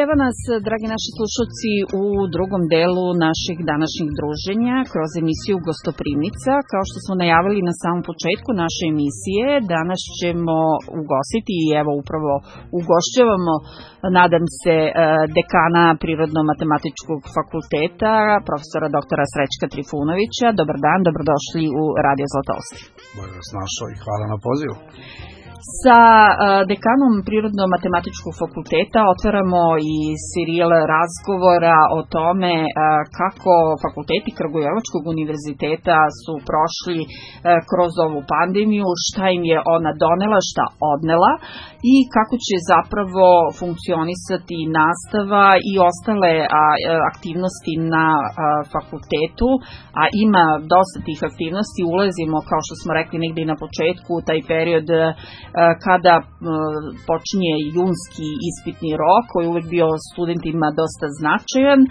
evo nas, dragi naši slušalci, u drugom delu naših današnjih druženja kroz emisiju Gostoprimnica. Kao što smo najavili na samom početku naše emisije, danas ćemo ugostiti i evo upravo ugošćavamo, nadam se, dekana Prirodno-matematičkog fakulteta, profesora doktora Srećka Trifunovića. Dobar dan, dobrodošli u Radio Zlatousti. Bolje vas našao i hvala na pozivu. Sa dekanom Prirodno-matematičkog fakulteta otvaramo i serijal razgovora o tome kako fakulteti Kragujevačkog univerziteta su prošli kroz ovu pandemiju, šta im je ona donela, šta odnela i kako će zapravo funkcionisati nastava i ostale aktivnosti na fakultetu, a ima dosta tih aktivnosti. Ulazimo, kao što smo rekli negdje na početku, u taj period kada počinje junski ispitni rok, koji je uvek bio studentima dosta značajan,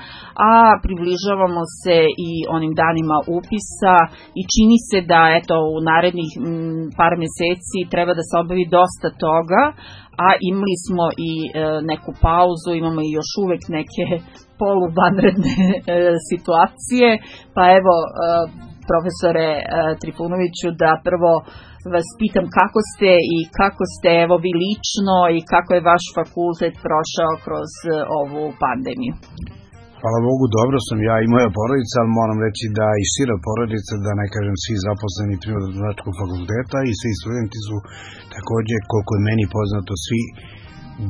a približavamo se i onim danima upisa i čini se da eto u narednih par meseci treba da se obavi dosta toga, a imali smo i neku pauzu, imamo i još uvek neke poluvanredne situacije, pa evo profesore Trifunoviću, da prvo vas pitam kako ste evo vi lično i kako je vaš fakultet prošao kroz ovu pandemiju. Hvala Bogu, dobro sam ja i moja porodica, ali moram reći da i šira porodica, da ne kažem svi zaposleni Prirodno-matematičkog fakulteta i svi studenti su također, koliko je meni poznato, svi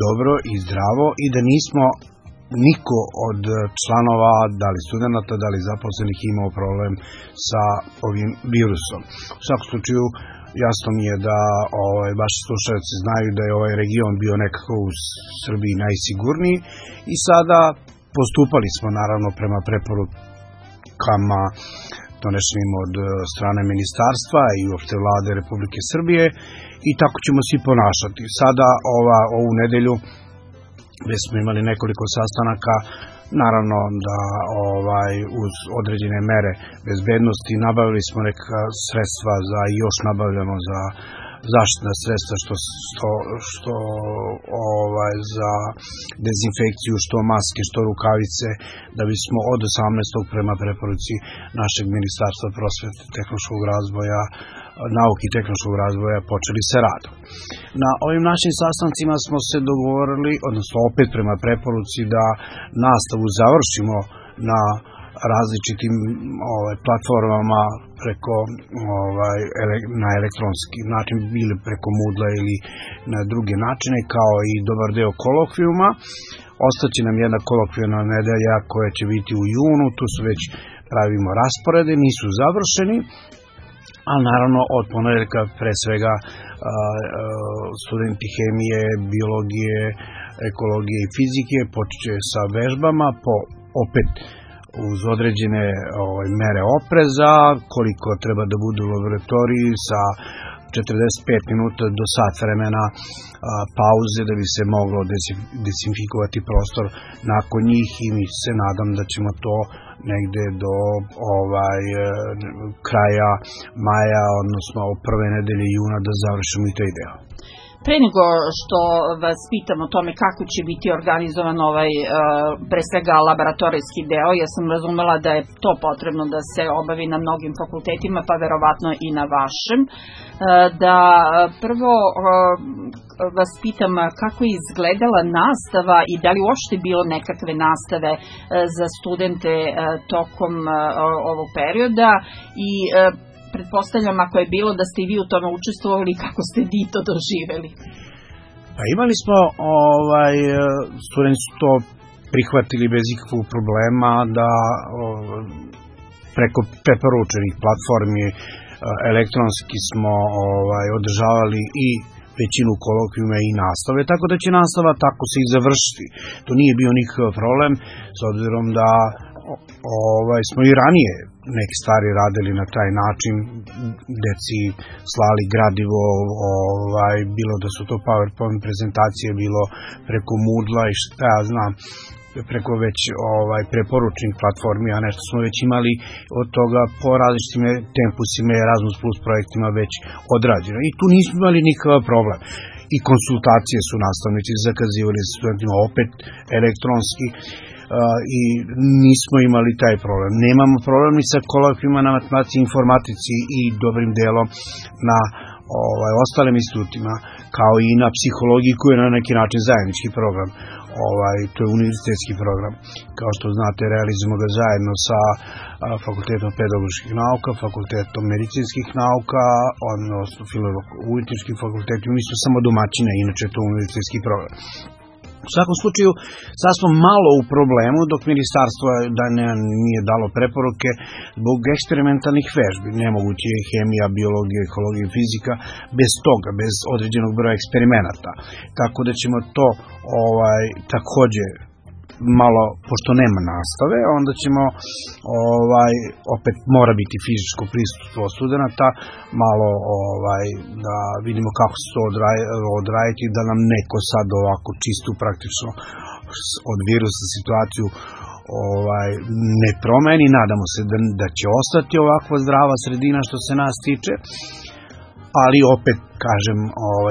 dobro i zdravo i da nismo niko od članova, da li studenta, da li zaposlenih imao problem sa ovim virusom. U svakom slučaju, jasno mi je da vaši slušalci znaju da je ovaj region bio nekako u Srbiji najsigurniji i sada postupali smo naravno prema preporukama donešenim od strane ministarstva i uopšte vlade Republike Srbije i tako ćemo se i ponašati. Sada ovu nedelju već smo imali nekoliko sastanaka, naravno da uz određene mere bezbednosti nabavili smo neka sredstva i još nabavljamo za zaštitna sredstva što za dezinfekciju, što maske, što rukavice, da bismo od 18. prema preporuci našeg Ministarstva prosvete, tehnološkog razvoja, nauke i tehnološkog razvoja počeli se radom. Na ovim našim sastancima smo se dogovorili, odnosno opet prema preporuci, da nastavu završimo na različitim platformama preko na elektronski način, bili preko Moodla ili na druge načine, kao i dobar deo kolokvijuma. Ostaće nam jedna kolokvijuna nedelja koja će biti u junu, tu su već pravimo rasporede, nisu završeni, ali naravno od ponedeljka pre svega studenti hemije, biologije, ekologije i fizike počeće sa vežbama opet uz određene mere opreza, koliko treba da budu u laboratoriji sa 45 minuta do sat vremena pauze da bi se moglo dezinfikovati prostor nakon njih i mi se nadam da ćemo to negde do kraja maja, odnosno prve nedelje juna da završimo i taj deo. Pre nego što vas pitam o tome kako će biti organizovan pre svega laboratorijski deo, ja sam razumela da je to potrebno da se obavi na mnogim fakultetima, pa verovatno i na vašem. Da prvo vas pitam kako je izgledala nastava i da li uopšte bilo nekakve nastave za studente tokom ovog perioda i pretpostavljam ako je bilo da ste i vi u tome učestvovali, kako ste vi to doživeli? Pa imali smo, studenti su to prihvatili bez ikakvog problema da preko preporučenih platformi elektronski smo održavali i većinu kolokvijuma i nastave, tako da će nastava tako se i završiti. To nije bio nikakav problem, s obzirom da smo i ranije neke stvari radili na taj način, deci slali gradivo, bilo da su to PowerPoint prezentacije, bilo preko Moodla i šta ja znam, preko već preporučenih platformi, a nešto smo već imali od toga po različitim tempusima i Erasmus Plus projektima već odrađeno. I tu nismo imali nikakav problem. i konsultacije su nastavnici zakazivali sa studentima opet elektronski i nismo imali taj problem. Nemamo problem ni sa kolokvijima na matematici i informatici i dobrim delom na ostalim institutima, kao i na psihologiji koji je na neki način zajednički program. To je univerzitetski program. Kao što znate, realizujemo ga zajedno sa Fakultetom pedagoških nauka, Fakultetom medicinskih nauka, odnosno Filozofsko-umjetničkim fakultetom. Mi smo samo domaćine, inače to je univerzitetski program. U svakom slučaju, sad smo malo u problemu, dok ministarstvo nije dalo preporuke zbog eksperimentalnih vežbi. Nemoguće je hemija, biologija, ekologija i fizika bez toga, bez određenog broja eksperimenata. Tako da ćemo to takođe malo, pošto nema nastave, onda ćemo opet mora biti fizičko prisustvo studenata, malo da vidimo kako se to odraditi, da nam neko sad ovako čistu praktično od virusa situaciju ne promeni. Nadamo se da će ostati ovakva zdrava sredina što se nas tiče, ali opet kažem,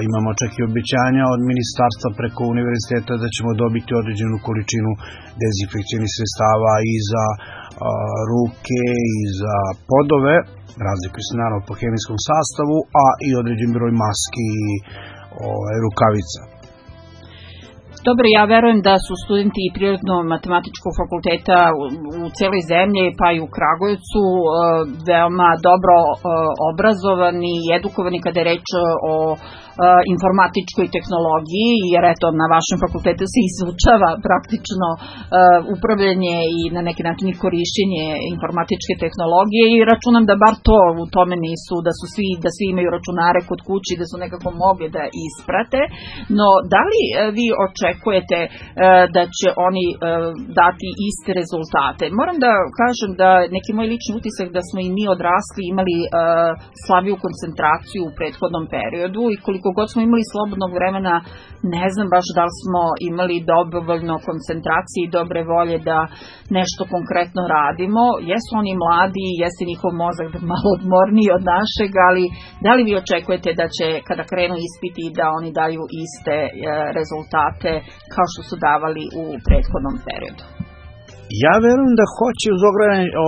imamo čak i obećanja od ministarstva preko univerziteta da ćemo dobiti određenu količinu dezinfekcijnih sredstava i za ruke i za podove, razlikuju se naravno po hemijskom sastavu, a i određen broj maski i rukavica. Dobro, ja verujem da su studenti Prirodno-matematičkog fakulteta u celoj zemlji, pa i u Kragujevcu, veoma dobro obrazovani i edukovani kada je reč o informatičkoj tehnologiji, jer eto, na vašem fakultetu se izučava praktično upravljanje i na neki način i korišćenje informatičke tehnologije i računam da bar to u tome nisu, da svi imaju računare kod kući, da su nekako mogli da isprate, no da li vi očekujete da će oni dati iste rezultate? Moram da kažem da neki moj lični utisak da smo i mi odrasli imali slabiju koncentraciju u prethodnom periodu i koliko god smo imali slobodnog vremena, ne znam baš da li smo imali dovoljno koncentracije i dobre volje da nešto konkretno radimo. Jesu oni mladi, jeste njihov mozak malo odmorniji od našeg, ali da li vi očekujete da će kada krenu ispiti da oni daju iste rezultate kao što su davali u prethodnom periodu? Ja verujem da hoće uz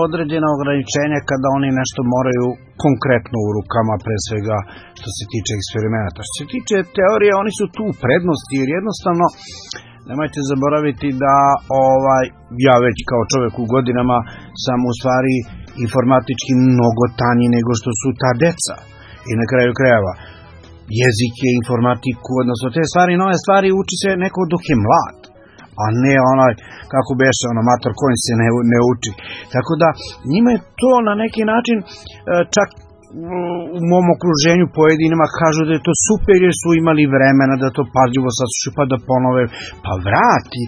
određena ograničenja kada oni nešto moraju konkretno u rukama, pre svega što se tiče eksperimenata. Što se tiče teorije, oni su tu u prednosti, jer jednostavno nemojte zaboraviti da ja već kao čovjek u godinama sam u stvari informatički mnogo tanji nego što su ta deca. I na kraju krajeva, jezike, informatiku, odnosno te stvari, nove stvari uči se neko dok je mlad, a ne kako beše, mator kojim se ne uči. Tako da, njima je to na neki način, čak u mom okruženju pojedinima kažu da je to super jer su imali vremena da to pažljivo saslušaju pa da ponove, pa vrati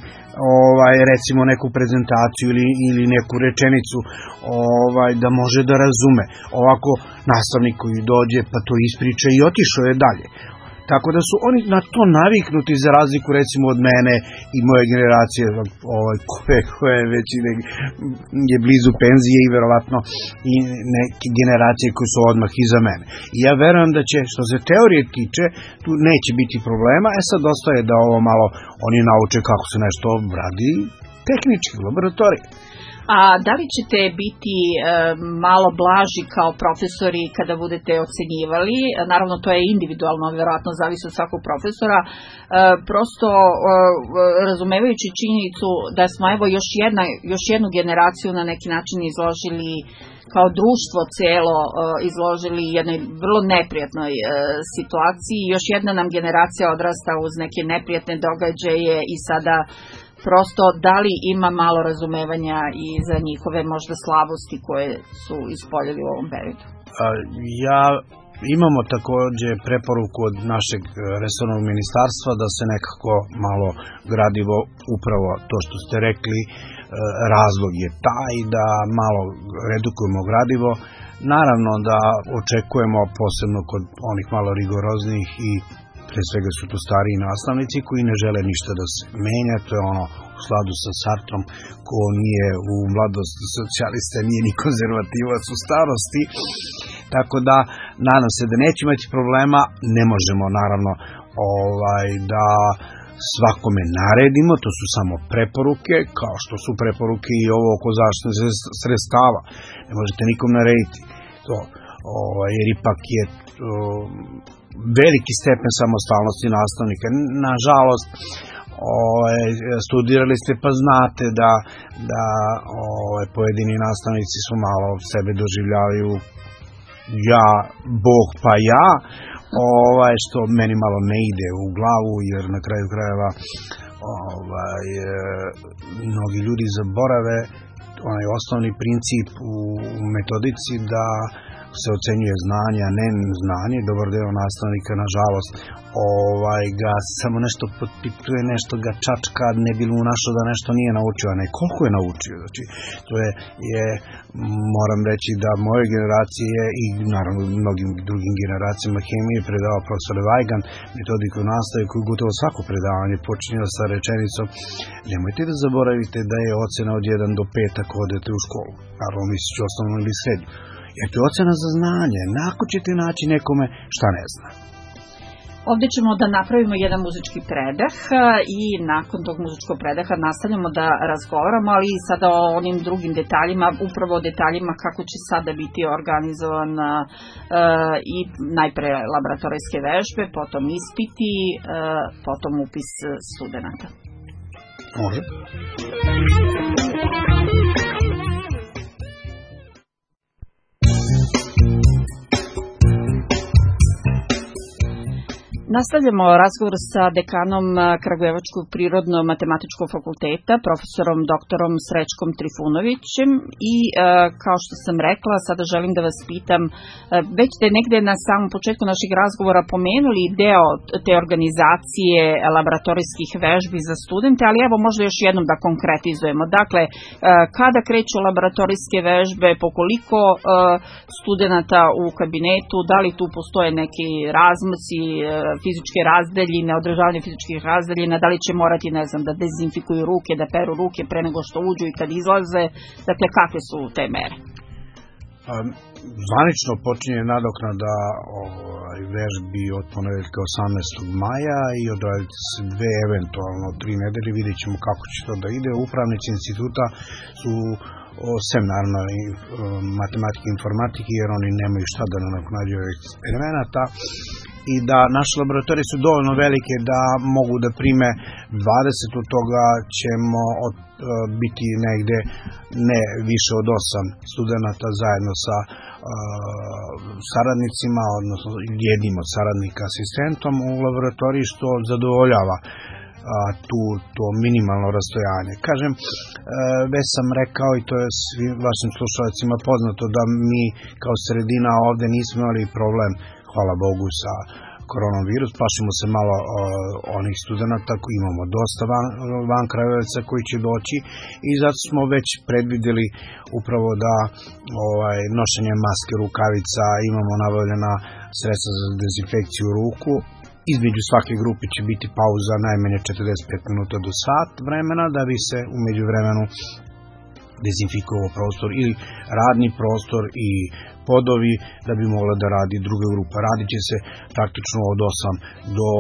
recimo neku prezentaciju ili neku rečenicu da može da razume. Ovako nastavnik koji dođe pa to ispriča i otišao je dalje. Tako da su oni na to naviknuti za razliku recimo od mene i moje generacije koje već je blizu penzije i verovatno i neke generacije koje su odmah iza mene. I ja verujem da će, što se teorije tiče, tu neće biti problema, sad ostaje da ovo malo oni nauče kako se nešto radi tehnički u laboratoriji. A da li ćete biti malo blaži kao profesori kada budete ocenjivali? Naravno, to je individualno, vjerojatno zavisi od svakog profesora. Prosto razumevajući činjenicu da smo još jednu generaciju na neki način izložili kao društvo cijelo izložili jednoj vrlo neprijatnoj situaciji. Još jedna nam generacija odrasta uz neke neprijatne događaje i sada prosto da li ima malo razumevanja i za njihove možda slabosti koje su ispoljili u ovom periodu? Imamo također preporuku od našeg resornog ministarstva da se nekako malo gradivo, upravo to što ste rekli, razlog je taj da malo redukujemo gradivo. Naravno da očekujemo posebno kod onih malo rigoroznijih i pre svega su to stariji nastavnici koji ne žele ništa da se menja, to je u skladu sa Sartrom, ko nije u mladosti socijalista, nije ni konzervativac u starosti. Tako da, nadam se da neće imati problema, ne možemo naravno da svakome naredimo, to su samo preporuke, kao što su preporuke i ovo oko zaštitnih sredstava. Ne možete nikom narediti to, jer ipak je veliki stepen samostalnosti nastavnika. Nažalost, studirali ste pa znate da pojedini nastavnici su malo sebe doživljavaju ja, Bog pa ja, što meni malo ne ide u glavu, jer na kraju krajeva mnogi ljudi zaborave onaj osnovni princip u metodici da se ocenjuje znanje, a ne znanje. Dobar deo nastavnika, nažalost, ga samo nešto potpituje, nešto ga čačka, ne bi mu našao da nešto nije naučio, a ne koliko je naučio. Znači, to je moram reći da moje generacije i naravno mnogim drugim generacijama hemije predavao profesor Vajgan, metodiku nastave koju gotovo svako predavanje počinje sa rečenicom: nemojte da zaboravite da je ocena od 1 do 5 ako odete u školu, naravno mislići osnovnu ili srednju. Jer to je ocena za znanje. Nakon ćete naći nekome šta ne zna. Ovdje ćemo da napravimo jedan muzički predah i nakon tog muzičkog predaha nastavljamo da razgovaramo, ali i sada o onim drugim detaljima, upravo o detaljima kako će sada biti organizovan i najpre laboratorijske vežbe, potom ispiti, potom upis studenata. Može. Nastavljamo razgovor sa dekanom Kragujevačkog prirodno-matematičkog fakulteta, profesorom doktorom Srećkom Trifunovićem i kao što sam rekla, sada želim da vas pitam, već ste negde na samom početku naših razgovora pomenuli deo te organizacije laboratorijskih vežbi za studente, ali evo možda još jednom da konkretizujemo. Dakle, kada kreću laboratorijske vežbe, po koliko studenata u kabinetu, da li tu postoje neki razmaci, fizičke razdaljine, održavanje fizičkih razdaljina, da li će morati, ne znam, da dezinfikuju ruke, da peru ruke pre nego što uđu i kad izlaze, dakle, kakve su te mere? Zvanično počinje nadoknada vežbi od ponedeljka 18. maja i odraditi se 2, eventualno 3 nedelje, vidjet ćemo kako će to da ide. Upravnici instituta su sem naravno i matematike i informatike, jer oni nemaju šta da nadoknađuju eksperimenata, i da naše laboratorije su dovoljno velike da mogu da prime 20, od toga ćemo biti negde ne više od 8 studenata zajedno sa saradnicima, odnosno jednim od saradnika asistentom u laboratoriji, što zadovoljava to minimalno rastojanje. Kažem, već sam rekao i to je svim vašim slušalcima poznato da mi kao sredina ovde nismo imali problem, hvala Bogu, sa koronavirus, plašimo se malo onih studenta koji imamo dosta van Kragujevaca koji će doći i zato smo već predvideli upravo da nošenje maske, rukavica, imamo nabavljena sredstva za dezinfekciju ruku. Između svake grupe će biti pauza najmanje 45 minuta do sat vremena da bi se u međuvremenu dezinfikovao prostor ili radni prostor i podovi da bi mogla da radi druga grupa. Radit će se praktično od 8 do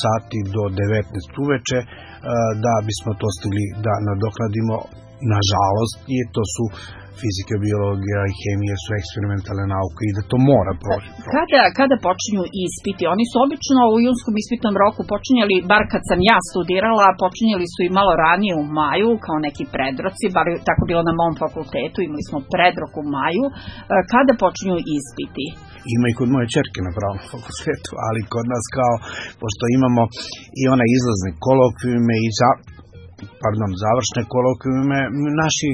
sati do 19 uveče da bismo to stigli da nadoknadimo. Nažalost, to su fizika, biologija i hemija su eksperimentalne nauke i da to mora proći. Kada počinju ispiti? Oni su obično u junskom ispitnom roku počinjali, bar kad sam ja studirala, počinjali su i malo ranije u maju, kao neki predroci, bar tako bilo na mom fakultetu, imali smo predrok u maju. Kada počinju ispiti? Ima i kod moje ćerke na pravnom fakultetu, ali kod nas pošto imamo i one izlazne kolokvijume i završne kolokvijume, naši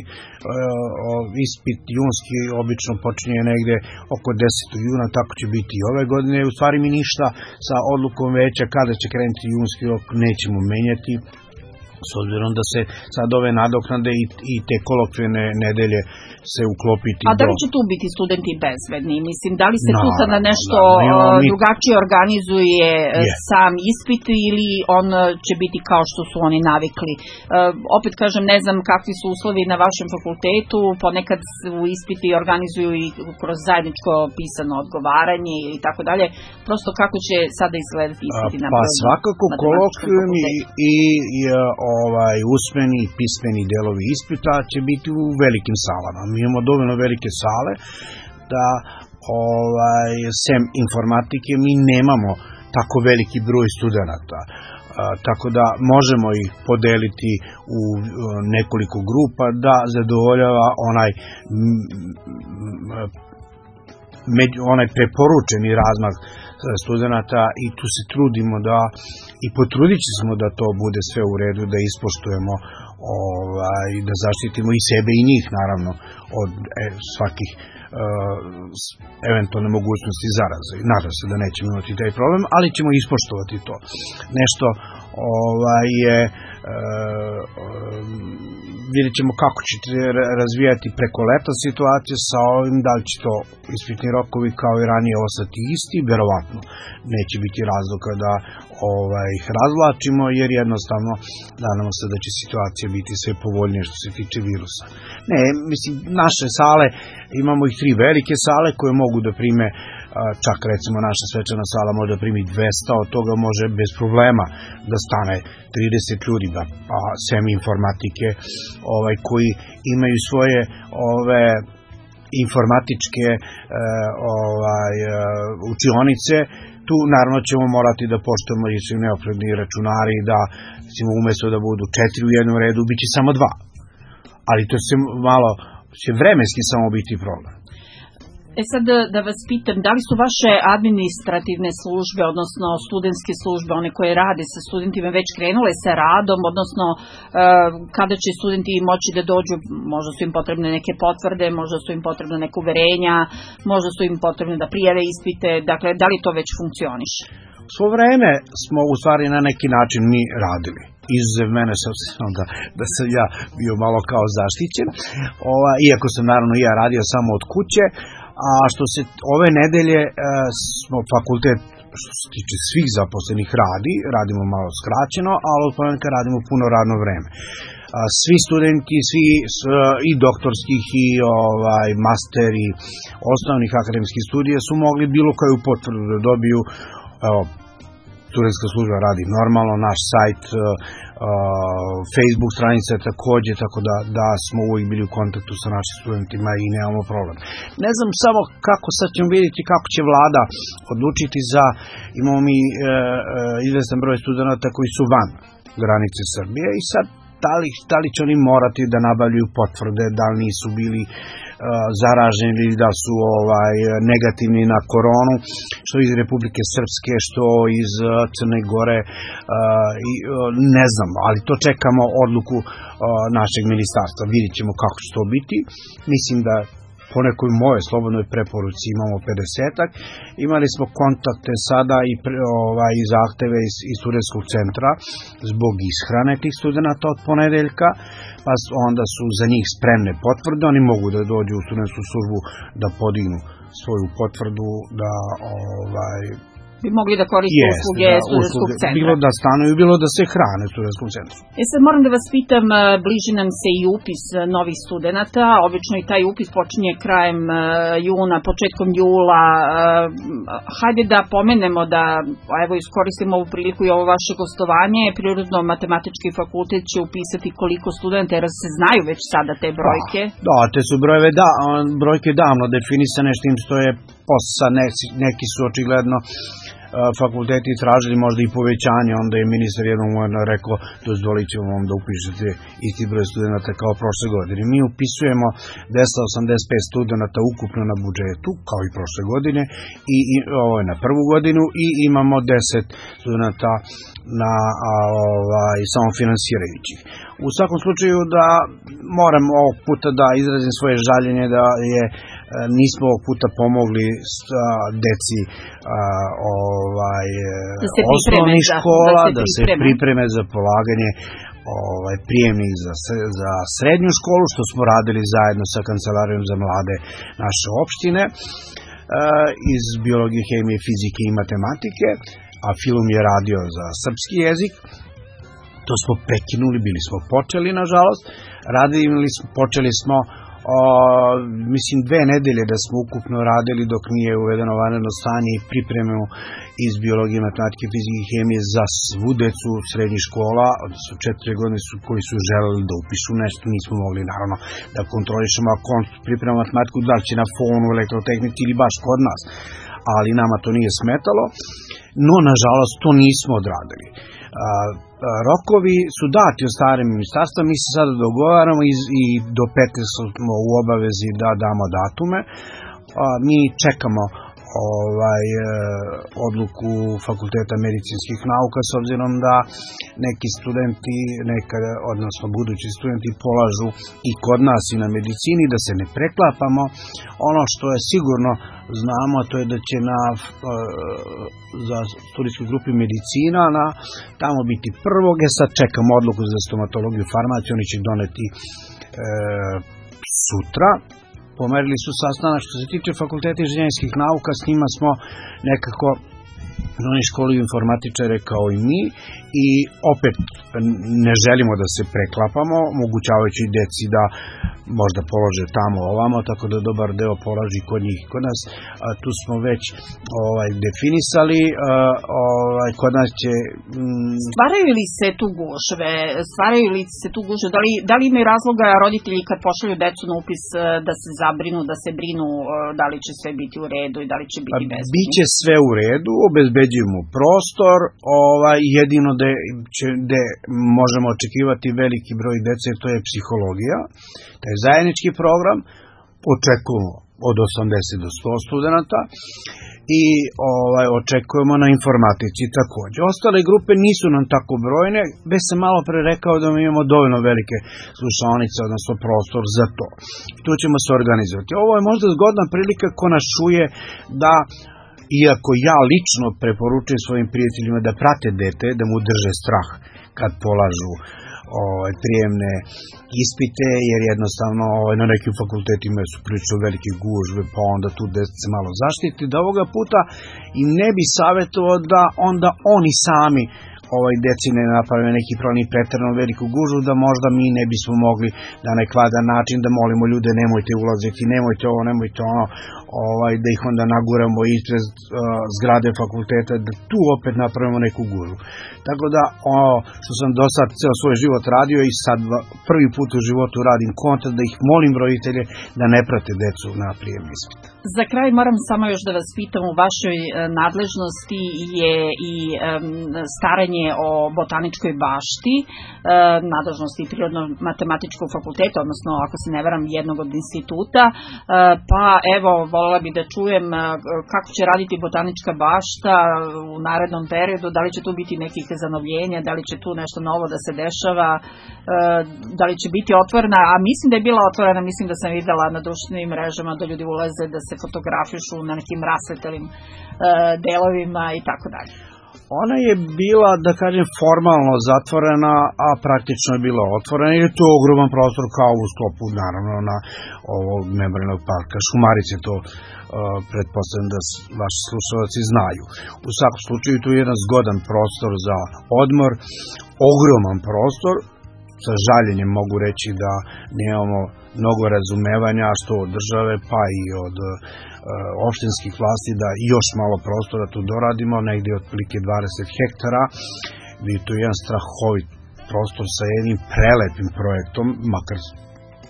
ispit junski obično počinje negde oko 10. juna, tako će biti i ove godine. U stvari mi ništa sa odlukom veća kada će krenuti junski rok nećemo menjati. s obzirom da se sad ove nadoknade i te kolokvijne nedelje se uklopiti. A da li će tu biti studenti bezbedni? Mislim, da li se tu sada nešto drugačije organizuje sam ispit ili on će biti kao što su oni navikli? Opet kažem, ne znam kakvi su uslovi na vašem fakultetu, ponekad u ispiti organizuju i kroz zajedničko pisano odgovaranje ili tako dalje. Prosto kako će sada izgledati ispiti na Pa svakako kolokvijni i usmeni i pismeni delovi ispita će biti u velikim salama. Mi imamo dovoljno velike sale da sem informatike mi nemamo tako veliki broj studenata. Tako da možemo ih podeliti u nekoliko grupa da zadovoljava onaj preporučeni razmak studenata i tu se trudimo i potrudit ćemo da to bude sve u redu, da ispoštujemo, da zaštitimo i sebe i njih naravno od svakih eventualne mogućnosti zaraze. Nadam se da nećemo imati taj problem, ali ćemo ispoštovati to. Nešto je vidjet ćemo kako ćete razvijati preko leta situaciju sa ovim, da li će to ispitni rokovi kao i ranije ostati isti, verovatno neće biti razloga da ih razvlačimo, jer jednostavno nadamo se da će situacija biti sve povoljnije što se tiče virusa. Ne, mislim, naše sale, imamo ih 3 velike sale koje mogu da prime, čak recimo naša svečana sala može da primi 200, od toga može bez problema da stane 30 ljudi, a sem informatike koji imaju svoje informatičke učionice. Tu naravno ćemo morati da poštujemo i svi neophodni računari, da umesto da budu 4 u jednom redu, bit će samo 2. Ali to će vremenski samo biti problem. Sad da vas pitam, da li su vaše administrativne službe, odnosno studentske službe, one koje rade sa studentima, već krenule sa radom, odnosno kada će studenti moći da dođu, možda su im potrebne neke potvrde, možda su im potrebne neke uverenja, možda su im potrebne da prijave ispite, dakle, da li to već funkcioniše? Svo vreme smo u stvari na neki način mi radili. Izuzev mene, s obzirom da sam ja bio malo kao zaštićen, iako sam naravno i ja radio samo od kuće. A što se ove nedelje smo fakultet, što se tiče svih zaposlenih, radimo malo skraćeno, ali od ponedjeljka radimo puno radno vreme. Svi studenti, i doktorskih i master i osnovnih akademskih studija su mogli bilo koju potvrdu da dobiju. Studentska služba radi normalno, naš sajt, Facebook stranica takođe, tako da smo uvijek bili u kontaktu sa našim studentima i nemamo problem. Ne znam samo kako, sad ćemo vidjeti kako će vlada odlučiti imamo mi izvestan broj studenta koji su van granice Srbije i sad da li će oni morati da nabavljaju potvrde, da li nisu bili zaraženi ili da su negativni na koronu, što iz Republike Srpske, što iz Crne Gore, ne znam, ali to čekamo odluku našeg ministarstva. Vidjet ćemo kako će to biti. Mislim da po nekoj moje slobodnoj preporuci imamo 50-ak. Imali smo kontakte sada i zahteve iz studentskog centra zbog ishrane tih studenta od ponedeljka, pa onda su za njih spremne potvrde. Oni mogu da dođu u studentsku službu da podignu svoju potvrdu, da bi mogli da koriste usluge studentskog centra. Bilo da stanuju, bilo da se hrane u studentskom centru. Sad moram da vas pitam, bliži nam se i upis novih studenta, obično i taj upis počinje krajem juna, početkom jula. Hajde da pomenemo da, evo iskoristimo ovu priliku i ovo vaše gostovanje, Prirodno-matematički fakultet će upisati koliko studenta, jer se znaju već sada te brojke. Da, te su brojke davno definisane, s tim što je posla, neki su očigledno fakulteti tražili možda i povećanje, onda je ministar jednom rekao dozvolit ćemo vam da upišete isti broj studenta kao prošle godine. Mi upisujemo 285 studenta ukupno na budžetu, kao i prošle godine, i ovo je na prvu godinu, i imamo 10 studenta na samofinansirajućih. U svakom slučaju da moram ovog puta da izrazim svoje žaljenje da nismo ovog puta pomogli deci osnovnih škola da se pripreme za polaganje prijemnik za srednju školu, što smo radili zajedno sa Kancelarijom za mlade naše opštine, iz biologije, hemije, fizike i matematike, a Filum je radio za srpski jezik. To smo prekinuli, bili smo počeli, nažalost. Počeli smo, mislim, 2 nedelje da smo ukupno radili dok nije uvedeno vanredno stanje i pripremu iz biologije, matematike, fizike i hemije za svu decu srednjih škola, odnosno 4 godine koji su želeli da upišu nešto, nismo mogli naravno da kontrolišemo ako on priprema matematiku, da li će na fonu, elektrotehnici ili baš kod nas, ali nama to nije smetalo, no nažalost to nismo odradili. Rokovi su dati od strane ministarstva, mi se sada dogovaramo i do 15 smo u obavezi da damo datume. Mi čekamo odluku Fakulteta medicinskih nauka, s obzirom da neki studenti, odnosno budući studenti polažu i kod nas i na medicini, da se ne preklapamo. Ono što je sigurno znamo, to je da će za studijskoj grupi medicina tamo biti prvog, sad čekamo odluku za stomatologiju i farmaciju, oni će doneti sutra. Pomerili su sastanak. Što se tiče Fakulteta inženjerskih nauka, s njima smo nekako, oni školuju informatičare kao i mi i opet ne želimo da se preklapamo, omogućavajući deci da možda polože tamo ovamo, tako da dobar deo polaži kod njih i kod nas. Tu smo već definisali, kod nas će... Stvaraju li se tu gužve? Da li imaju razloga roditelji kad pošalju decu na upis da se zabrinu, da se brinu da li će sve biti u redu i da li će biti bezbedno? Biće sve u redu, obezbeđujemo prostor, jedino gde možemo očekivati veliki broj dece, to je psihologija, to je zajednički program, očekujemo od 80 do 100 studenta i očekujemo na informatici takođe. Ostale grupe nisu nam tako brojne, već sam malo pre rekao da mi imamo dovoljno velike slušaonice, odnosno prostor za to. Tu ćemo se organizovati. Ovo je možda zgodna prilika ko nas čuje da, iako ja lično preporučujem svojim prijateljima da prate dete, da mu drže strah kad polažu prijemne ispite, jer jednostavno na nekim fakultetima su prilično velike gužve, pa onda tu deca se malo zaštiti, da ovoga puta im ne bi savjetovao da onda oni sami deci ne naprave neki problem i preterano veliku gužvu, da možda mi ne bismo mogli na nekvadan način da molimo ljude nemojte ulaziti, nemojte ovo, nemojte ono, da ih onda naguramo ispred zgrade fakulteta, da tu opet napravimo neku gužvu. Tako da, što sam do sad ceo svoj život radio i sad prvi put u životu radim kontra, da ih molim roditelje da ne prate decu na prijemni ispit. Za kraj moram samo još da vas pitam, u vašoj nadležnosti je i staranje o botaničkoj bašti, nadležnosti Prirodno-matematičkog fakulteta, odnosno, ako se ne varam, jednog od instituta, pa evo, voljela bih da čujem kako će raditi botanička bašta u narednom periodu, da li će tu biti nekih zanovljenja, da li će tu nešto novo da se dešava, da li će biti otvorena, a mislim da je bila otvorena, mislim da sam videla na društvenim mrežama da ljudi ulaze, da se fotografišu na nekim rasvetelim delovima i tako dalje. Ona je bila, da kažem, formalno zatvorena, a praktično je bila otvorena, jer je to ogroman prostor kao u sklopu, naravno, na ovog memorijalnog parka Šumarice, to pretpostavljam da vaši slušalci znaju. U svakom slučaju, tu je jedan zgodan prostor za odmor, ogroman prostor, sa žaljenjem mogu reći da nemamo mnogo razumevanja, što od države, pa i od opštinskih vlasti, da još malo prostora tu doradimo, negdje otprilike 20 hektara. Vi tu jedan strahovit prostor sa jednim prelepim projektom, makar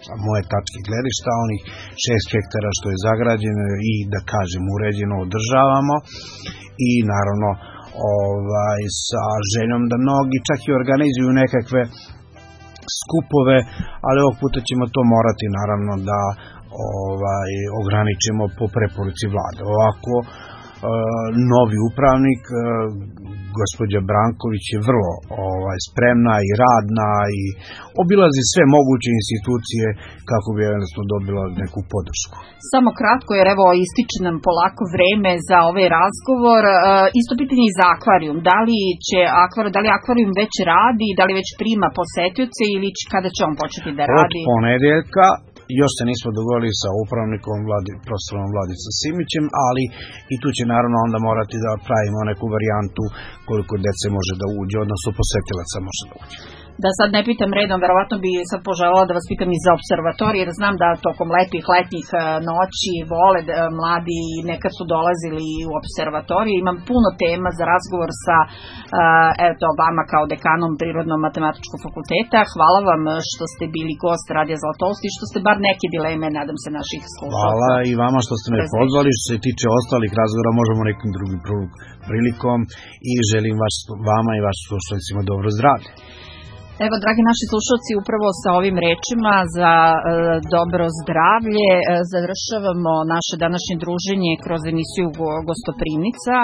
sa moje tačke gledišta, onih 6 hektara što je zagrađeno i, da kažem, uređeno održavamo i naravno sa željom da mnogi čak i organizuju nekakve skupove, ali ovog puta ćemo to morati naravno da ograničimo po preporuci vlade. Ovako novi upravnik, gospođa Branković je vrlo spremna i radna i obilazi sve moguće institucije kako bi eventualno dobila neku podršku. Samo kratko, jer evo ističe nam polako vreme za ovaj razgovor. Isto pitanje i za akvarijum. Da li akvarijum već radi, da li već prima posetioce ili kada će on početi da radi? Od ponedeljka. Još se nismo dogovorili sa upravnikom, profesorom Vladicom Simićem, ali i tu će naravno onda morati da pravimo neku varijantu koliko dece može da uđe, odnosno posetilaca može da uđe. Da sad ne pitam redom, verovatno bi sad poželjela da vas pitam i za observatorij, jer znam da tokom letnjih noći vole mladi i nekad su dolazili u observatorij. Imam puno tema za razgovor sa vama kao dekanom Prirodno-matematičkog fakulteta. Hvala vam što ste bili gost Radija Zlatousti i što ste bar neke dileme, nadam se, naših slušalaca. Hvala i vama što ste me pozvali. Što se tiče ostalih razgovora, možemo nekim drugim prilikom i želim vama i vašim slušalicima dobro zdravlje. Evo, dragi naši slušalci, upravo sa ovim rečima za dobro zdravlje završavamo naše današnje druženje kroz emisiju Gostoprimnica.